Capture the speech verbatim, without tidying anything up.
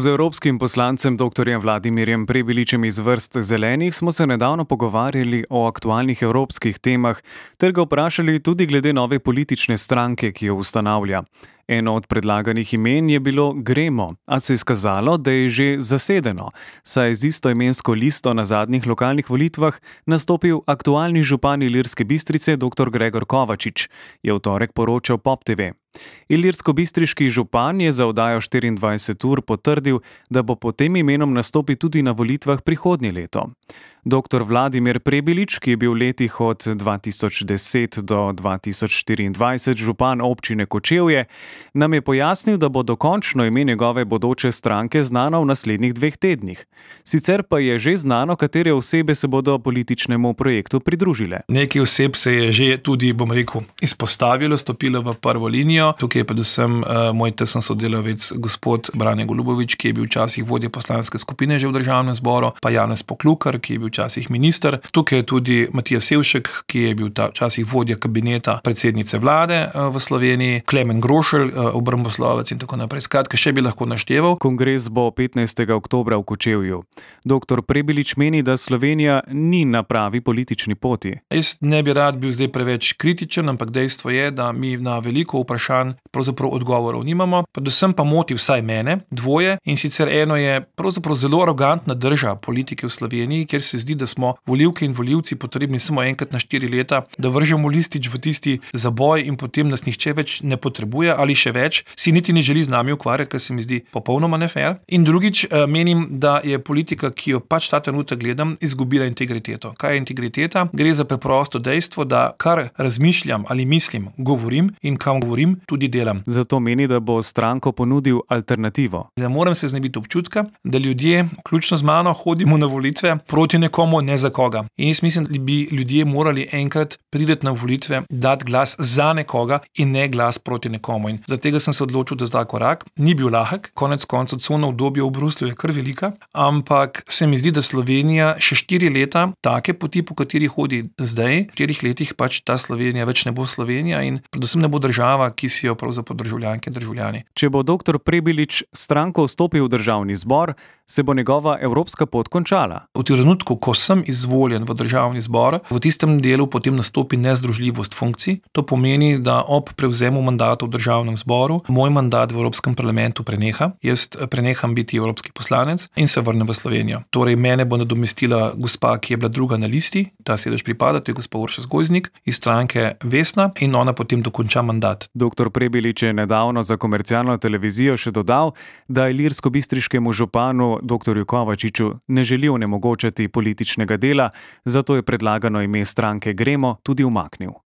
Z evropskim poslancem doktorjem Vladimirjem Prebiličem iz vrst Zelenih smo se nedavno pogovarjali o aktualnih evropskih temah ter ga vprašali tudi glede nove politične stranke, ki jo ustanavlja. Eno od predlaganih imen je bilo Gremo, a se je izkazalo, da je že zasedeno, saj je z istoimensko listo na zadnjih lokalnih volitvah nastopil aktualni župan Ilirske Bistrice dr. Gregor Kovačič, je v torek poročal Pop te ve. Ilirsko-bistriški župan je za oddajo štiriindvajset ur potrdil, da bo pod tem imenom nastopil tudi na volitvah prihodnje leto. doktor Vladimir Prebilič, ki je bil v letih od dva tisoč deset do dva tisoč štiriindvajset župan občine Kočevje, nam je pojasnil, da bo dokončno ime njegove bodoče stranke znano v naslednjih dveh tednih. Sicer pa je že znano, katere osebe se bodo političnemu projektu pridružile. Nekaj oseb se je že tudi, bom rekel, izpostavilo, stopilo v prvo linijo. Tukaj je predvsem uh, moj tesen sodelavec gospod Brane Golubovič, ki je bil včasih vodja poslanske skupine že v državnem zboru, pa Janez Poklukar, ki je bil včasih minister. Tukaj je tudi Matija Sevšek, ki je bil ta včasih vodja kabineta predsednice vlade uh, v Sloveniji, Klemen Grošelj, uh, obramboslovec in tako naprej. Skratka, še bi lahko našteval. Kongres bo petnajstega oktobra v Kočevju. doktor Prebilič meni, da Slovenija ni na pravi politični poti. Jaz ne bi rad bil zdaj preveč kritičen, ampak dejstvo je, da mi na veliko vprašanj pravzaprav odgovorov nimamo. Predvsem pa moti vsaj mene dvoje, in sicer eno je pravzaprav zelo arogantna drža politike v Sloveniji, kjer se zdi, da smo volivke in volivci potrebni samo enkrat na štiri leta, da vržemo listič v tisti zaboj in potem nas nihče več ne potrebuje ali še več, si niti ne želi z nami ukvarjati, kar se mi zdi popolnoma nefer. In drugič, menim, da je politika, ki jo pač ta trenutek gledam, izgubila integriteto. Kaj je integriteta? Gre za preprosto dejstvo, da kar razmišljam ali mislim, govorim in kam govorim, tudi delam. Zato meni, da bo stranko ponudil alternativo. Ne morem se znebiti občutka, da ljudje, vključno z mano, hodimo na volitve proti nekomu, ne za koga. In jaz mislim, da bi ljudje morali enkrat priti na volitve, dati glas za nekoga in ne glas proti nekomu. In zaradi tega sem se odločil, da zdaj korak. Ni bil lahek, konec koncev cona obdobja v Bruslju je kar velika, ampak se mi zdi, da Slovenija še štiri leta, take poti, po kateri hodi zdaj, v štirih letih pač ta Slovenija več ne bo Slovenija in predvsem ne bo država, ki si jo pravzaprav državljanke in državljani. Če bo doktor Prebilič stranko vstopil v državni zbor, se bo njegova evropska pot končala. V trenutku, ko sem izvoljen v državni zbor, v tistem delu potem nastopi nezdružljivost funkcij. To pomeni, da ob prevzemu mandata v državnem zboru moj mandat v Evropskem parlamentu preneha. Jaz preneham biti evropski poslanec in se vrnem v Slovenijo. Torej, mene bo nadomestila gospa, ki je bila druga na listi, ta sedež pripada, to je gospa Urša Zgojznik iz stranke Vesna, in ona potem dokonča mandat. doktor Prebilič je nedavno za komercialno televizijo še dodal, da ilirsko-bistriškemu županu doktorju Kovačiču ne želi onemogočati političnega dela, zato je predlagano ime stranke Gremo tudi umaknil.